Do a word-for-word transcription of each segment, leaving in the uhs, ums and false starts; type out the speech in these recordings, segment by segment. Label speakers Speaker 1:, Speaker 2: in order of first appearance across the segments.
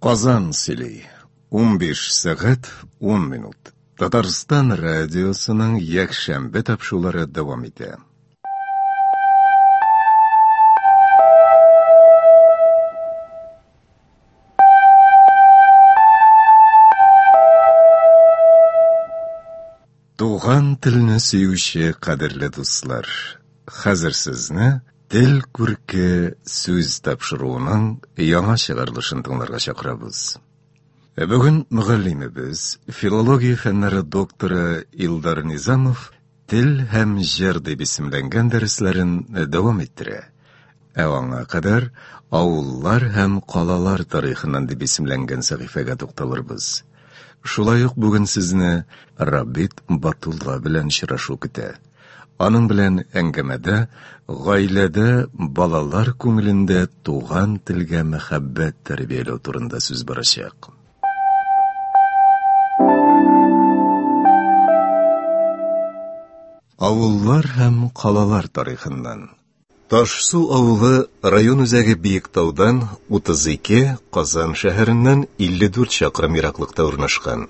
Speaker 1: Казан сөйли. Унбиш сәгать ун минут. Татарстан радиосының якшәмбе тапшырулары дәвам итә. Туган телне сөюче кадерле дуслар, хәзер сезне Тел күрке сүз тапшыруының яңа чыгарылышын тыңларга чакырабыз. Бүген мөгаллимебез, филология фәннәре докторы Илдар Низамов Тел һәм җыр дип исемләнгән дәресләрен дәвам иттерә. Ә аңа кадәр авыллар һәм калалар тарихыннан дип исемләнгән сәхифәгә тукталырбыз. Шулай ук бүген сезне Рабит Батулла белән очрашу көтә. Аның белән әңгәмәдә гаиләдә балалар күңелендә туган телгә мәхәббәт тәрбияләү турында сүз барачак. Авыллар һәм калалар тарихыннан. Ташсу авылы район үзәге Биектаудан утыз ике, Казан шәһәреннән илле дүрт чакрым ераклыкта урнашкан.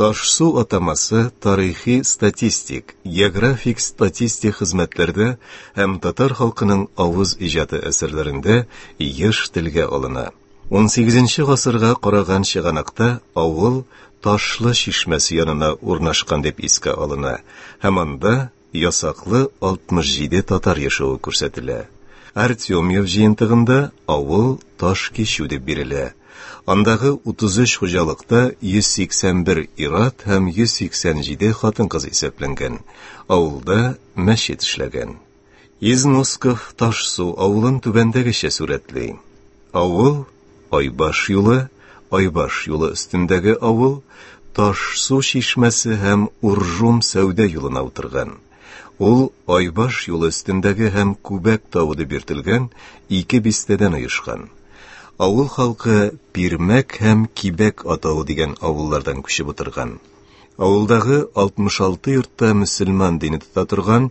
Speaker 1: Ташсу атамасы тарихи статистик, географик статистик хезмәтләрдә һәм татар халкының авыз иҗаты әсәрләрендә еш телгә алына. Унсигезенче гасырга караган чыганакта авыл Ташлы чишмәсе янына урнашкан дип искә алына һәм анда ясаклы алтмыш җиде татар яшәве күрсәтелә. Артемьев җыентыгында авыл Ташкичү дип бирелә. Андагы утыз өч хуҗалыкта йөз сиксән бер ир-ат һәм йөз сиксән җиде хатын-кыз исәпләнгән. Авылда мәчет эшләгән. Износков Ташсу авылын түбәндәгечә сурәтли. Авыл Айбаш юлы, Айбаш юлы өстендәге авыл Ташсу чишмәсе һәм Уржум сәүдә юлына утырган. Ул Айбаш юлы өстендәге һәм Күбәк тавы дип йөртелгән ике бистәдән оешкан. Авыл халкы Пирмәк һәм Кибәк атавы дигән авыллардан күчеп утырган. Авылдагы алтмыш алты йортта мөселман дине тота торган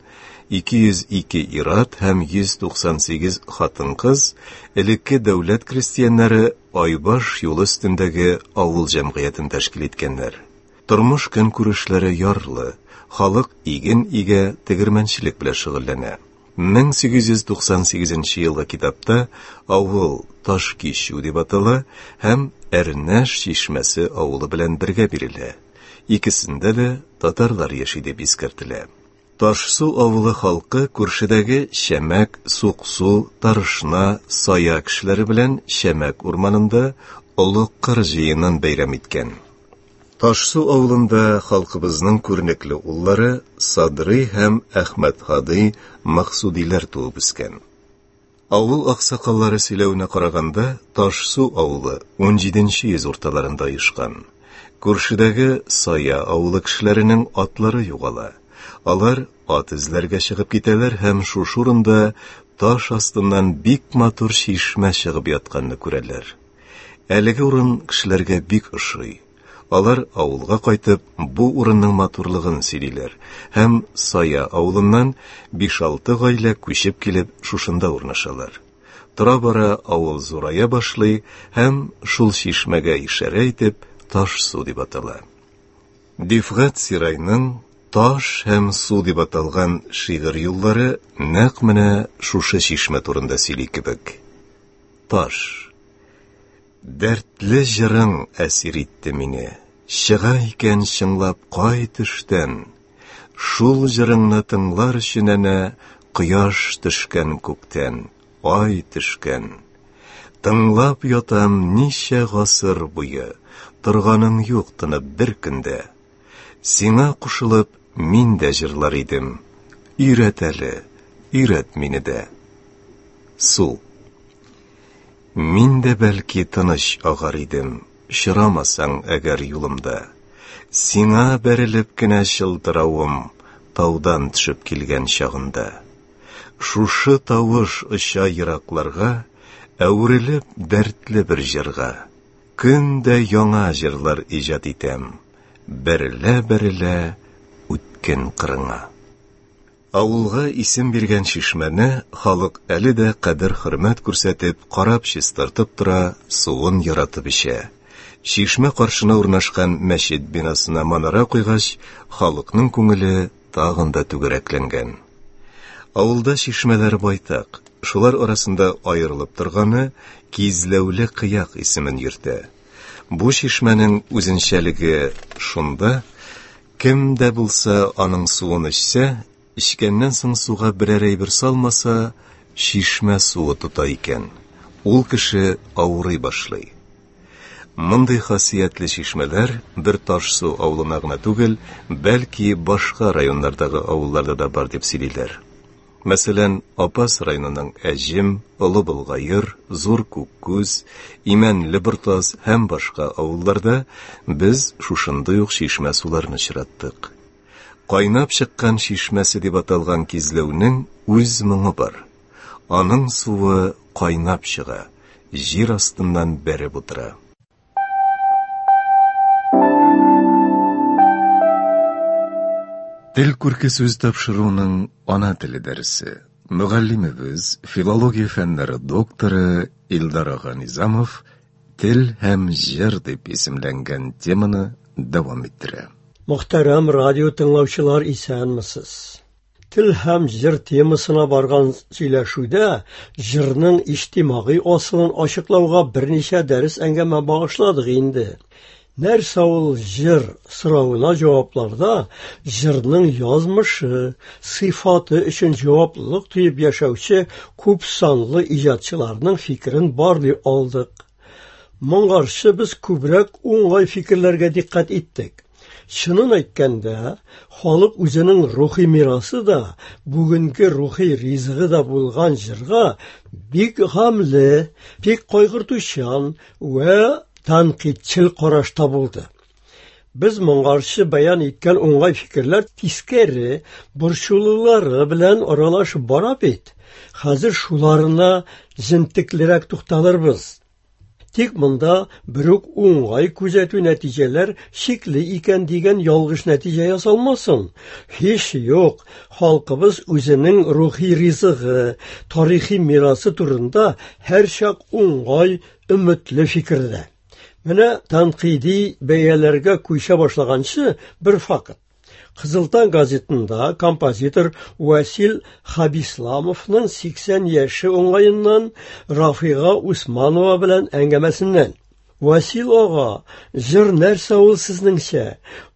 Speaker 1: ике йөз ике ир-ат һәм йөз туксан сигез хатын-кыз элекке дәүләт крестьяннары Айбаш юлы өстендәге авыл җәмгыятен тәшкил иткәннәр. Тормыш көнкүрешләре ярлы, халык иген игә, тегермәнчелек белән шөгыльләнә. Мең сигез йөз туксан сигезенче елгы китапта авыл Ташкичү дип атала һәм Әрнәш чишмәсе авылы белән бергә бирелә. Икесендә дә татарлар яши дип искәртелә. Ташсу авылы халкы күршедәге Шәмәк, Суксу, Тарышна, Сая кешеләре белән Шәмәк урманында Олы Кыр җыенын бәйрәм иткән. Ташсу авылында халкыбызның күренекле уллары Садрый һәм Әхмәт Һади Максудиләр туып үскән. Авыл аксакаллары сөйләвенә караганда, Ташсу авылы унҗиденче йөз урталарында оешкан. Күршедәге Сая авылы кешеләренең атлары югала. Алар ат эзләргә чыгып китәләр һәм шушы урында таш астыннан бик матур чишмә чыгып ятканны күрәләр. Әлеге урын кешеләргә бик ошый. Алар авылга кайтып, бу урынның матурлыгын сөйлиләр һәм Сая авылыннан биш-алты гаилә күчеп килеп шушында урнашалар. Тора-бара авыл зурая башлый һәм шул чишмәгә ишарә итеп Ташсу дип атала. Дифгать Сирайның Таш һәм су дип аталган шигырь юллары нәкъ менә шушы чишмә турында сөйли кебек. Таш. Дәртле җырың әсир итте мине, чыга икән чыңлап кай төштән. Шул җырыңны тыңлар өчен әнә кояш төшкән күктән, ай төшкән. Тыңлап ятам ничә гасыр буе, торганың юк тынып бер көндә. Сиңа кушылып мин дә җырлар идем, өйрәт әле, өйрәт мине дә. Су. Мин дә бәлки тыныч агар идем, очрамасаң әгәр юлымда. Сиңа бәрелеп кенә чылтыравым, таудан төшеп килгән чагында. Шушы тавыш оча еракларга, әверелеп дәртле бер җырга. Көн дә яңа җырлар иҗат итәм, бәрелә-бәрелә үткен кырыңа. Авылга исем биргән чишмәне халык әле дә кадер-хөрмәт күрсәтеп, карап чистартып тора, суын яратып эчә. Чишмә каршына урнашкан мәчет бинасына манара куйгач, халыкның күңеле тагын да түгәрәкләнгән. Авылда чишмәләр байтак. Шулар арасында аерылып торганы Кизләүле Кыяк исемен йөртә. Бу чишмәнең үзенчәлеге шунда, кем дә булса аның суын эчсә, эчкәннән соң суга берәр әйбер салмаса, чишмә суы тота икән. Ул кеше авырый башлый. Мондый хасиятле чишмәләр бер Ташсу авылына гына түгел, бәлки башка районнардагы авылларда да бар дип сөйлиләр. Мәсәлән, Апас районының Әҗем, Олы Болгаер, Зур Күккүз, Имәнле Бортас һәм башка авылларда без шушындый ук чишмә суларын очраттык. Кайнап чыккан чишмәсе дип аталган Кизләүнең үз моңы бар. Аның суы кайнап чыга, җир астыннан бәреп утыра. Тел күрке сүз тапшыруының ана теле дәресе. Мөгаллимебез, филология фәннәре докторы Илдар ага Низамов «Тел һәм җыр» дип исемләнгән теманы дәвам иттерә.
Speaker 2: Мөхтәрәм радио тыңлаучылар, исәнмесез. Тел һәм җыр темасына барган сөйләшүдә җырның иҗтимагый асылын ачыклауга берничә дәрес әңгәмә багышладык инде. Нәрсә ул җыр соравына җавапларда җырның язмышы, сыйфаты өчен җаваплылык тоеп яшәүче күп санлы иҗатчыларның фикерен барлый алдык. Моңарчы без күбрәк уңай фикерләргә дикъкать иттек. Чынын әйткәндә, халык үзенең рухи мирасы да, бүгенге рухи ризыгы да булган җырга бик гамле, бик кайгыртучан вә тәнкыйтьчел карашта булды. Без моңарчы бәян иткән уңай фикерләр тискәре, борчулылары белән аралашып бара бит. Хәзер шуларына җентеклерәк тукталырбыз. Тик монда берүк уңай күзәтү нәтиҗәләр шикле икән дигән ялгыш нәтиҗә ясалмасын. Һич юк, халкыбыз үзенең рухи ризыгы, тарихи мирасы турында һәрчак уңай, өметле фикердә. Менә тәнкыйди бәяләргә күчә башлаганчы бер факт. Кызыл таң газетында композитор Васил Хабисламовның сиксән яше уңаеннан Рафига Усманова белән әңгәмәсеннән. Васил ага, җыр нәрсә ул сезнеңчә?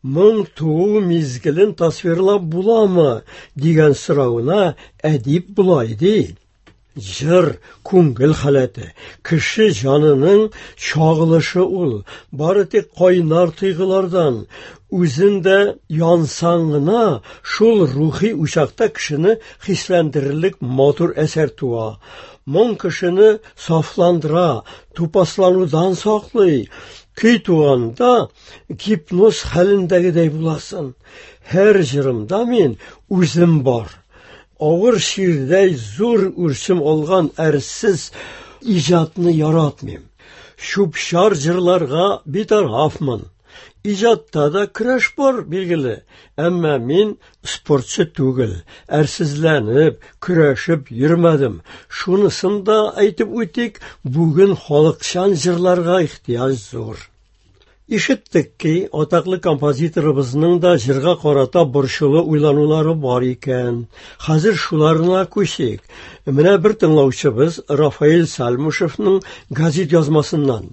Speaker 2: Моң туу мизгелен тасвирлап буламы? Дигән соравына әдип болай ди. Җыр күңел халәте, кеше җанының чагылышы ул. Бары тик кайнар тойгылардан, үзен дә янсаң гына, шул рухи учакта кешене хисләндерерлек матур әсәр туа. Моң кешене сафландыра, тупасланудан саклый. Көй туганда гипноз хәлендәгедәй буласың. Һәр җырымда мин үзем бар. Авыр ширдәй зур үрчем алган әрсез иҗатны яратмыйм. Чүп-чар җырларга битарафмын. Иҗатта да көрәш бар, билгеле. Әмма мин спортчы түгел, әрсезләнеп, көрәшеп йөрмәдем. Шунысын да әйтеп үтик, бүген халыкчан җырларга ихтыяҗ зур. Ишеттек ки, атаклы композиторыбызның да җырга карата борчулы уйланулары бар икән. Хәзер шуларына күчик. Менә бер тыңлаучыбыз Рафаэль Сальмушевның газет язмасыннан.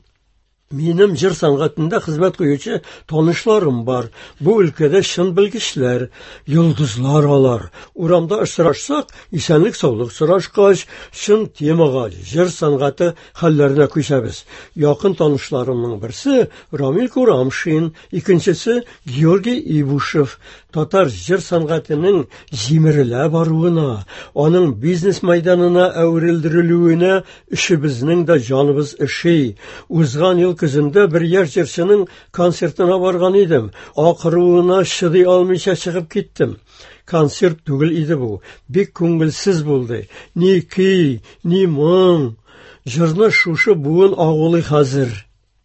Speaker 2: Минем җыр сәнгатендә хезмәт куючы танышларым бар. Бу өлкәдә чын белгечләр, йолдызлар алар. Урамда очрашсак, исәнлек-саулык сорашкач, чын темага, җыр сәнгате хәлләренә күчәбез. Якын танышларымның берсе Рамил Курамшин, икенчесе Георгий Ибушев. Татар җыр сәнгатенең җимерелә баруына, аның бизнес мәйданына әверелдерелүенә өчебезнең дә җаныбыз өши. Узган ел көзендә бер яшь җырчының концертына барган идем. Акыруына чыдый алмыйча чыгып киттем. Концерт түгел иде бу. Бик күңелсез булды. Ни көй, ни моң. Җырны шушы буын агулый хәзер.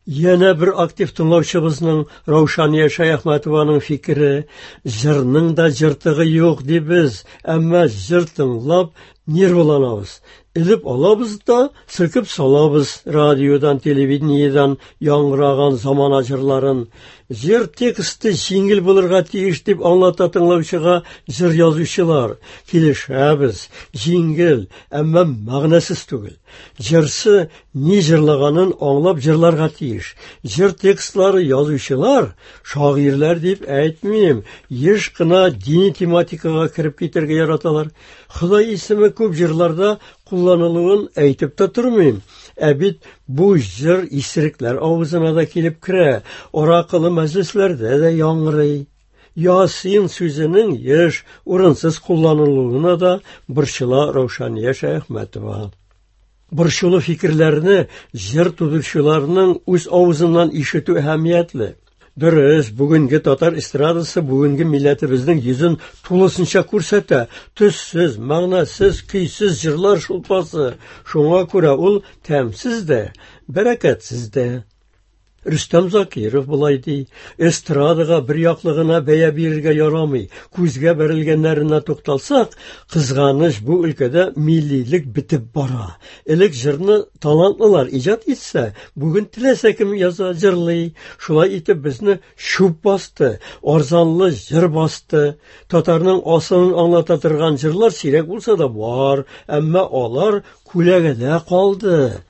Speaker 2: Янә бер актив тыңлаучыбызның Раушания Шәяхмәтованың фикере: җырның да җыртыгы юк дибез, әмма җыр тыңлап нервыланабыз. Элеп алабыз да селкеп салабыз радиодан, телевидениедән яңгыраган замана җырларын. Җыр тексты җиңел булырга тиеш дип аңлата тыңлаучыга җыр язучылар. Килешәбез, җиңел, әмма мәгънәсез түгел. Җырчы ни җырлаганын аңлап җырларга тиеш. Җыр текстлары язучылар, шагыйрьләр дип әйтмим, еш кына дини тематикага кереп китәргә яраталар. Ходай исеме күп җырларда кулланылуын әйтеп тә тормыйм. Ә бит бу җыр исерекләр авызына да килеп керә, аракылы мәҗлесләрдә дә яңгырый. Ясин сүзенең еш, урынсыз кулланылуына да борчыла Раушания Шәяхмәтова. Борчулы фикерләрне җыр тудыручыларның үз авызыннан ишетү әһәмиятле. Дөрес, бүгенге татар эстрадасы бүгенге милләтебезнең йөзен тулысынча күрсәтә. Төссез, мәгънәсез, көйсез җырлар шулпасы. Шуңа күрә ул тәмсез дә, бәрәкәтсез дә. Рөстәм Закиров болай ди: эстрадага бер яклы гына бәя бирергә ярамый. Күзгә бәрелгәннәренә тукталсак, кызганыч, бу өлкәдә миллилек бетеп бара. Элек җырны талантлылар иҗат итсә, бүген теләсә кем яза, җырлый. Шулай итеп безне чүп басты, арзанлы җыр басты. Татарның асылын аңлата торган җырлар сирәк булса да бар, әмма алар күләгәдә калды.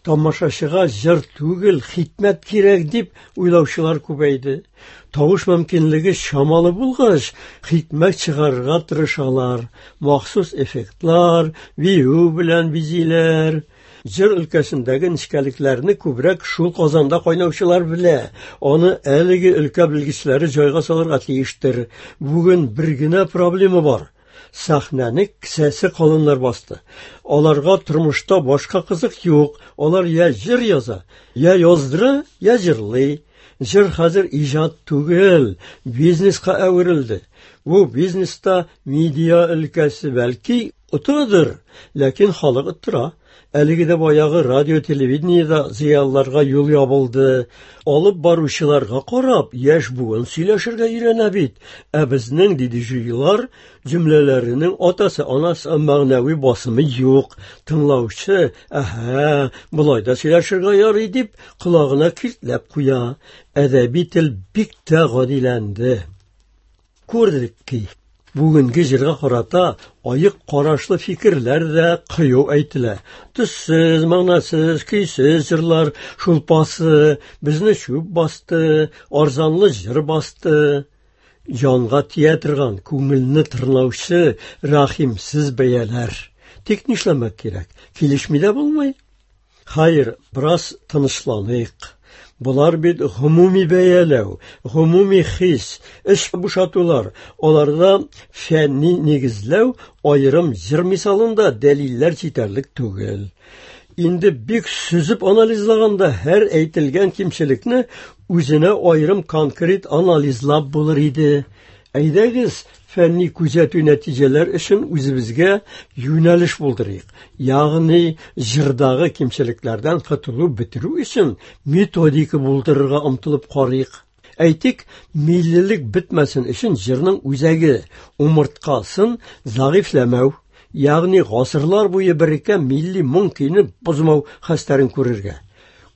Speaker 2: Тамашачыга җыр түгел, хикмәт кирәк дип уйлаучылар күбәйде. Тавыш мөмкинлеге чамалы булгач, хикмәт чыгарырга тырышалар. Махсус эффектлар, бию белән бизиләр. Җыр өлкәсендәге нечкәлекләрне күбрәк шул казанда кайнаучылар белә. Аны әлеге өлкә белгечләре җайга салырга тиештер. Бүген бер генә проблема бар. Сәхнәне кесәсе калыннар басты. Аларга тормышта башка кызык юк. Алар я җыр яза, я яздыра, я җырлый. Җыр хәзер иҗат түгел, бизнеска әверелде. Бу бизнеста медиа өлкәсе бәлки отыдыр, ләкин халык оттыра. Әлеге дә баягы радио, телевидениедә зыялыларга юл ябылды. Алып баручыларга карап, яшь буын сөйләшергә өйрәнә бит. Ә безнең диджейлар җөмләләренең атасы, анасы мәгънәви басымы юк. Тыңлаучы, әһә, болай да сөйләшергә ярый дип, колагына киртләп куя. Әдәби тел бик тә гадиләнде. Күрдек ки, бүгенге җырга карата аек карашлы фикерләр дә кыю әйтелә. Төссез, мәгънәсез, көйсез җырлар шулпасы безне чүп басты, арзанлы җыр басты. Җанга тия торган, күңелне тырнаучы рәхимсез бәяләр. Тик нишләмәк кирәк? Килешми дә булмый. Хәер, бераз тынычланыйк. Болар бит гомуми бәяләү, гомуми хис, эш бушатулар. Аларда фәнни нигезләү аерым җыр мисалында дәлилләр җитәрлек түгел. Инде бик сүзеп анализлаганда һәр әйтелгән кимчелекне үзенә аерым конкрет анализлап булыр иде. Әйдәгез, фәнни күзәтү нәтиҗәләр өчен үзебезгә юнәлеш булдырыйк. Ягъни җырдагы кимчелекләрдән котылу бетерү өчен методика булдырырга омтылып карыйк. Әйтик, миллилек бетмәсен өчен җырның үзәге, умырткасын зәгыйфьләмәү, ягъни гасырлар буе береккән милли моң көйне бозмау хәстәрен күрергә.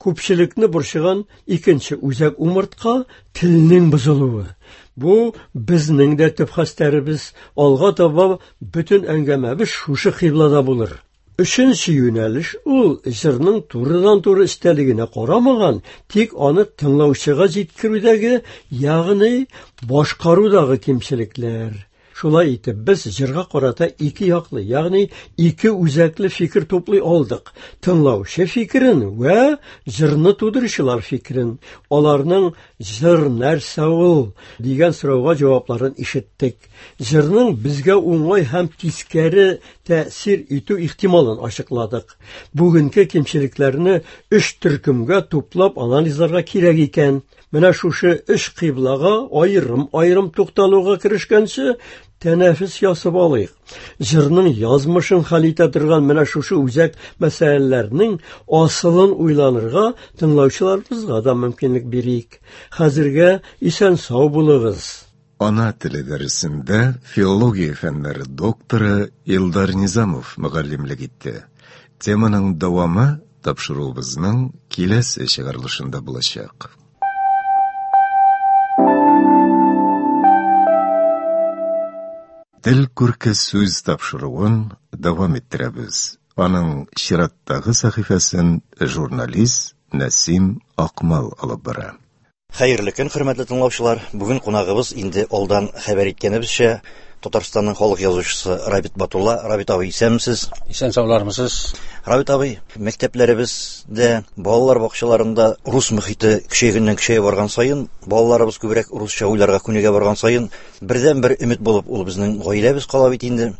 Speaker 2: Күпчелекне борчыган икенче үзәк умыртка телнең бозылуы. Бу безнең дә төп хәстәребез. Алга таба бөтен әңгәмәбез шушы кыйблада булыр. Өченче юнәлеш ул җырның турыдан-туры эчтәлегенә карамаган, тик аны тыңлаучыга җиткерүдәге, ягъни башкарудагы кимчелекләр. Шулай итеп, без җырга карата ике яклы, ягъни ике үзәкле фикер туплый алдык. Тыңлаучы фикерен вә җырны тудыручылар фикерен. Аларның җыр нәрсә ул дигән сорауга җавапларын ишеттек. Җырның безгә уңай һәм тискәре тәэсир итү ихтималын ачыкладык. Бүгенге кимчелекләрне өч төркемгә туплап анализларга кирәк икән. Менә шушы өч кыйблага аерым-аерым тукталуга керешкәнче, тәнәфес ясап алыйк. Җырның язмышын хәл итә торган менә шушы үзәк мәсьәләләрнең асылын уйланырга тыңлаучыларыбызга да мөмкинлек бирик. Хәзергә исән-сау булыгыз.
Speaker 1: Ана теле дәресендә филология фәннәре докторы Илдар Низамов мөгаллимлек итте. Теманың дәвамы тапшыруыбызның киләсе чыгарылышында булачак. Тел күрке сүз тапшыруын дәвам иттерәбез. Аның чираттагы сәхифәсен журналист Нәсим Акмал алып бара.
Speaker 3: Хәерле көн, хөрмәтле тыңлаучылар. Бүген кунагыбыз инде алдан хәбәр иткәнебезчә Татарстанның халык язучысы Рабит Батулла. Рабит абый, исәнмесез?
Speaker 4: Исән саулармысыз?
Speaker 3: Рабит абый, мәктәпләребездә, балалар бакчаларында рус мөхите көчәйгәннән көчәя барган саен, балаларыбыз күбрәк русча уйларга күнегә барган саен, бердән-бер өмет булып ул безнең гаиләбез кала бит инде.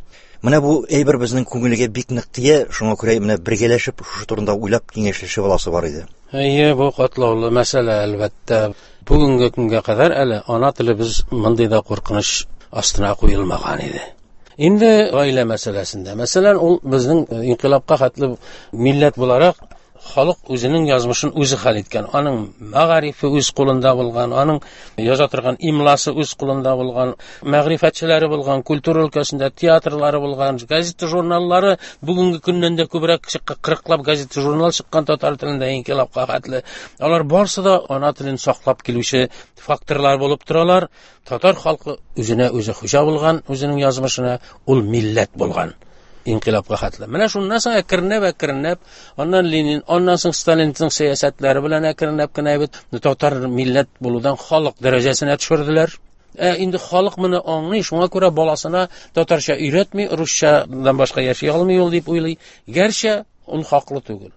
Speaker 3: Менә бу әйбер безнең күңелгә бик нык тия, шуңа күрә менә бергәләшеп шушы турында уйлап киңәшләшеп аласы бар иде.
Speaker 4: Әйе, бу катлаулы мәсьәлә әлбәттә. Бүгенге көнгә кадәр әле ана телебез мондый да куркыныч астына куелмаган иде. Инде гаилә мәсьәләсендә, мәсәлән, ул безнең инкыйлабка хәтле милләт буларак халык үзенең язмышын үзе хәл иткән. Аның мәгарифе үз кулында булган, аның яза торган имласы үз кулында булган, мәгърифәтчеләре булган, культура өлкәсендә театрлары булган, газета журналлары бүгенге көннән дә күбрәк чыккан, кырыклап газета журнал чыккан татар телендә инкыйлабка хәтле. Алар барсы да ана телен саклап килүче факторлар булып торалар. Татар халкы үзенә үзе хуҗа булган, үзенең язмышына ул милләт булган. Инкыйлабка хәтле. Менә шуннан соң әкренләп әкренләп, аннан Ленин, аннан соң Сталинның сәясәтләре белән әкренләп кенә бит татар милләт булудан халык дәрәҗәсенә төшерделәр. Ә инде халык моны аңлый, шуңа күрә баласына татарча өйрәтми, русчадан башка яши алмый ул дип уйлый. Гәрчә ул хаклы түгел.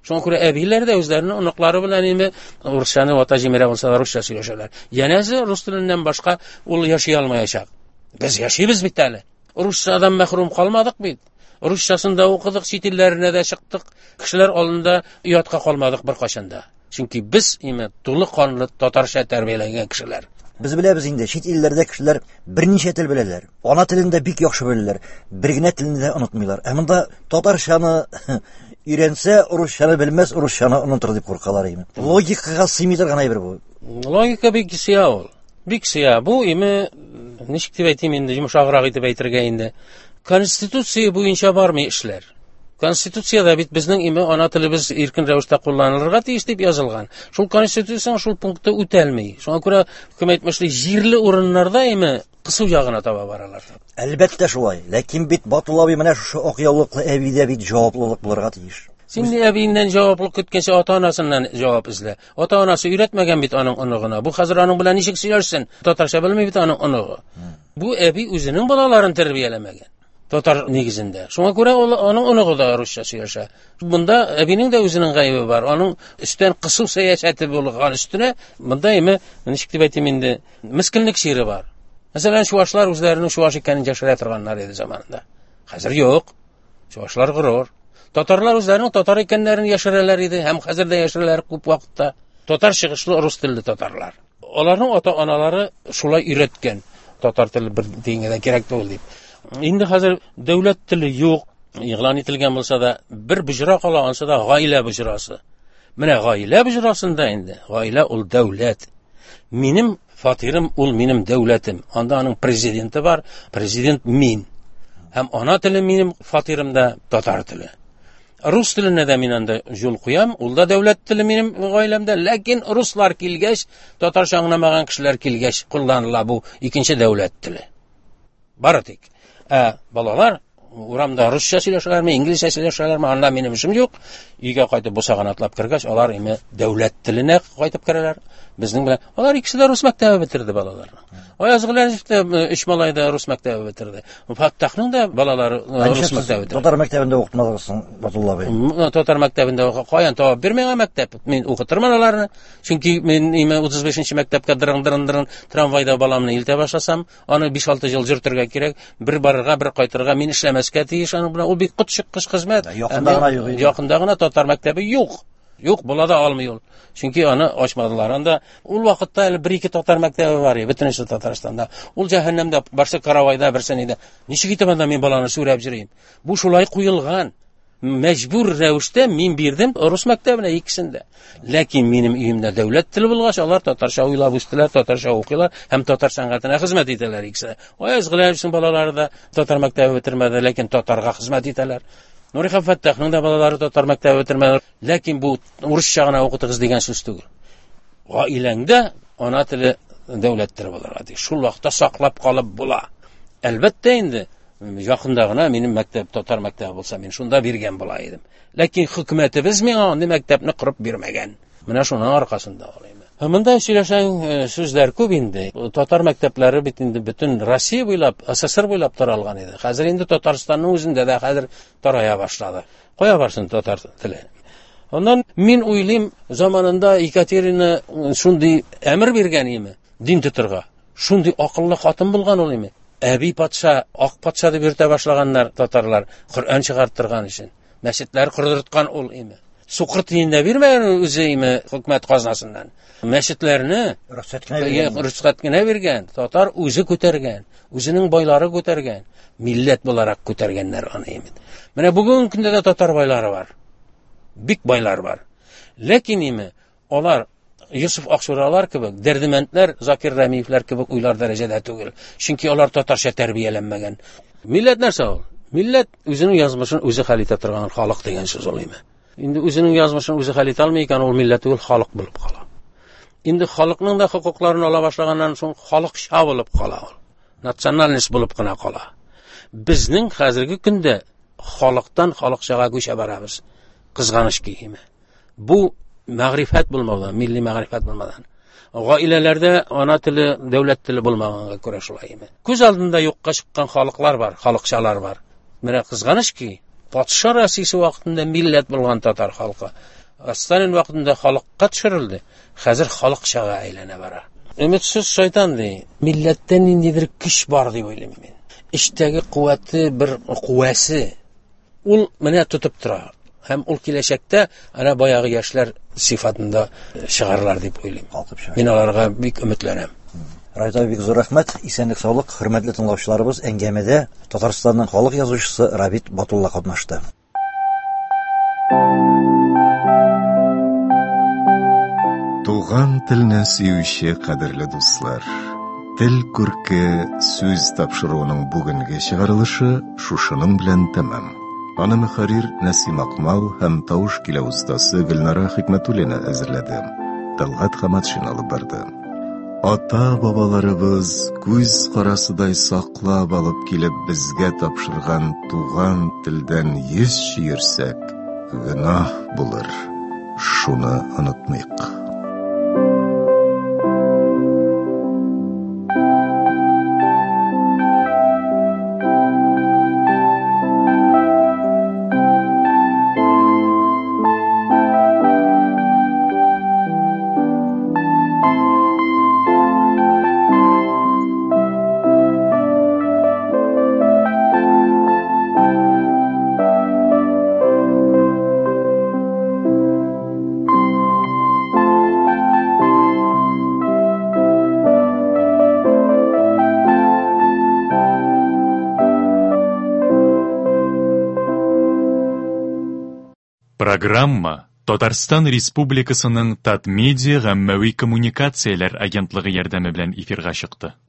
Speaker 4: Шуңа күрә әбиләр дә үзләренең оныклары белән инде русчаны вата җимерә булса да русча сөйләшәләр. Янәсе рус теленнән башка ул яши алмаячак. Без яшибез бит әле. Русчадан мәхрүм калмадык бит. Русчасын да укыдык, чит илләренә дә чыктык. Кешеләр алдында оятка калмадык бер кайчан да. Чөнки без име тулы канлы татарча тәрбияләнгән кешеләр.
Speaker 3: Без беләбез инде, чит илләрдә кешеләр берничә тел беләләр. Ана телен дә бик яхшы беләләр. Бер генә телне дә онытмыйлар. Ә монда татарчаны өйрәнсә, русчаны белмәс, русчаны онытыр дип куркалар име. Логикага сыймый торган әйбер бу.
Speaker 4: Логика бик сыя ул. Бик сыя. Бу име ничек дип әйтим инде, йомшаграк итеп әйтергә инде. Конституция буенча бармый эшләр. Конституцияда бит безнең име ана телебез иркен рәвештә кулланылырга тиеш дип язылган. Шул конституцияның шул пункты үтәлми. Шуңа күрә кем әйтмешли, җирле урыннарда име кысу ягына таба баралар.
Speaker 3: Әлбәттә шулай. Ләкин бит Батулла абый менә шушы ак яулыклы әбидә бит җаваплылык булырга тиеш.
Speaker 4: Син әбиеннән җаваплылык көткәнче ата-анасыннан җавап эзлә. Ата-анасы өйрәтмәгән бит аның оныгына. Бу хәзер аның белән ничек сөйләшсен? Татарча белми бит аның оныгы. Бу әби үзенең балаларын тәрбияләмәгән. Татар нигезендә. Шуңа күрә ул аның оныгы да русча сөйләшә. Бунда әбинең дә үзенең гаебе бар. Аның өстән кысу сәясәте булган өстенә монда име ничек дип әйтим инде, мискинлек чире бар. Мәсәлән, чуашлар үзләренең чуаш икәнен яшерә торганнар иде заманында. Хәзер юк. Чуашлар горур. Татарлар үзләренең татар икәннәрен яшерәләр иде һәм хәзер дә яшерәләр күп вакытта. Татар чыгышлы рус телле татарлар. Аларның ата-аналары шулай өйрәткән. Татар теле бер дигәнгә кирәк түгел дип. Инде хәзер дәүләт теле юк, игълан ителгән булса да, бер боҗра кала, ансы да гаилә боҗрасы. Менә гаилә боҗрасында инде, гаилә ул дәүләт. Минем фатирым ул минем дәүләтем. Анда аның президенты бар, президент мин. Һәм ана теле минем фатирымда татар теле. Рус теленә дә мин анда юл куям, ул да дәүләт теле минем гаиләмдә, ләкин руслар килгәч, татарча аңламаган кешеләр килгәч кулланыла бу икенче дәүләт теле. Бары тик. Ә балалар урамда русча сөйләшәләрме, инглизчә сөйләшәләрме, анда минем эшем юк. Өйгә кайтып бусаганы атлап кергәч, алар име дәүләт теленә кайтып керәләр. Безнең белән алар икесе дә рус мәктәбе бетерде балаларны. Аяз Гыйләҗев тә өч малай да рус мәктәбе бетерде. Фаттахның да балалары рус мәктәбе бетерде.
Speaker 3: Татар мәктәбендә укытмадыгыз соң, Батулла абый?
Speaker 4: Татар мәктәбендә каян табып бир миңа мәктәп? Мин укытырмын аларны. Чөнки мин име утыз бишенче мәктәпкә дырың-дырың-дырың трамвайда баламны илтә башласам, аны биш-алты ел йөртергә кирәк, бер барырга, бер кайтырга мин эшләмәскә тиеш аның белән. Ул бик котчыккыч хезмәт.
Speaker 3: Якында гына юк.
Speaker 4: Якында гына татар мәктәбе юк. Юк, була да алмый ул. Чөнки аны ачмадылар. Анда ул вакытта әле бер-ике татар мәктәбе бар иде, бөтенесе Татарстанда. Ул җәһәннәмдә, берсе Каравайда, берсе нидә. Ничек итеп анда мин баланы сүрәп йөрим? Бу шулай куелган. Мәҗбүр рәвештә мин бирдем рус мәктәбенә икесен дә. Ләкин минем өемдә дәүләт теле булгач, алар татарча уйлап үстеләр, татарча укыйлар һәм татар сәнгатенә хезмәт итәләр икесе. Аяз Гыйләҗевнең балалары да татар мәктәбе бетермәде, ләкин татарга хезмәт итәләр. Нурихан Фәттахның да балалары татар мәктәбе бетермәде, ләкин бу урысча гына укытыгыз дигән сүз түгел. Гаиләңдә ана теле дәүләт теле булырга тиеш. Шул вакытта саклап калып була. Әлбәттә инде якында гына минем мәктәп татар мәктәбе булса, мин шунда биргән була идем. Ләкин хөкүмәтебез миңа андый мәктәпне корып бирмәгән. Менә шуның аркасында алыйм. Монда сөйләшәң сүзләр күп инде. Татар мәктәпләре бит инде бөтен Россия буйлап, СССР буйлап таралган иде. Хәзер инде Татарстанның үзендә дә хәзер тарая башлады. Кая барсын татар теле? Аннан мин уйлыйм, заманында Екатерина шундый әмер биргән име дин тотырга. Шундый акыллы хатын булган ул име. Әби патша, ак патша дип йөртә башлаганнар татарлар, Коръән чыгарттырган өчен. Мәчетләр кордырткан ул име. Сукыр тиен дә бирмәгән үзе име хөкүмәт казнасыннан. Мәчетләрне
Speaker 3: рөхсәт кенә биргән.
Speaker 4: Рөхсәт кенә биргән. Татар үзе күтәргән, үзенең байлары күтәргән, милләт буларак күтәргәннәр аны име. Менә бүгенге көндә дә татар байлары бар. Бик байлар бар. Ләкин име алар Юсуф Акчуралар кебек, Дәрдемәндләр, Закир Рәмиевләр кебек уйлар дәрәҗәдә түгел. Чөнки алар татарча тәрбияләнмәгән. Милләт нәрсә ул? Милләт үзенең язмышын үзе хәл итә торган халык дигән сүз ул име. Инде үзенең язмышын үзе хәл итә алмый икән, ул милләт түгел, халык булып кала. Инде халыкның да хокукларын ала башлаганнан соң халыкча булып кала ул. Национальность булып кына кала. Безнең хәзерге көндә халыктан халыкчага күчә барабыз. Кызганыч ки име. Бу мәгърифәт булмаудан, милли мәгърифәт булмаудан. Гаиләләрдә ана теле, дәүләт теле булмаганга күрә шулай име. Күз алдында юкка чыккан халыклар бар, халыкчалар бар. Менә кызганыч ки, патша Россиясе вакытында милләт булган татар халкы Сталин вакытында халыкка төшерелде. Хәзер халыкчага әйләнә бара. Өметсез шайтан ди. Милләттә ниндидер көч бар дип уйлыйм мин. Эчтәге куәте бер куәсе. Ул менә тотып тора. Һәм ул киләчәктә ана баягы яшьләр сыйфатында чыгарлар дип уйлыйм. Мин аларга бик өметләнәм.
Speaker 3: Райт абый, бик зур рәхмәт. Исәнлек, саулык. Хөрмәтле тыңлаучыларыбыз, әңгәмәдә Татарстанның халык язучысы Рабит Батулла катнашты.
Speaker 1: Туган телне сөюче кадерле дуслар, Тел күрке сүз тапшыруының бүгенге чыгарылышы шушының белән тәмам. Аны мөхәррир Нәсим Акмал һәм тавыш килә остасы Гөлнара Хикмәтуллина әзерләде. Талгат Хаматшин алып барды. Ата-бабаларыбыз күз карасыдай саклап алып килеп безгә тапшырган туган телдән йөз чөерсәк, гөнаһ булыр. Шуны онытмыйк.
Speaker 5: Программа Татарстан Республикасының Татмедиа гаммәви коммуникацияләр агентлыгы ярдәме белән эфирга чыкты.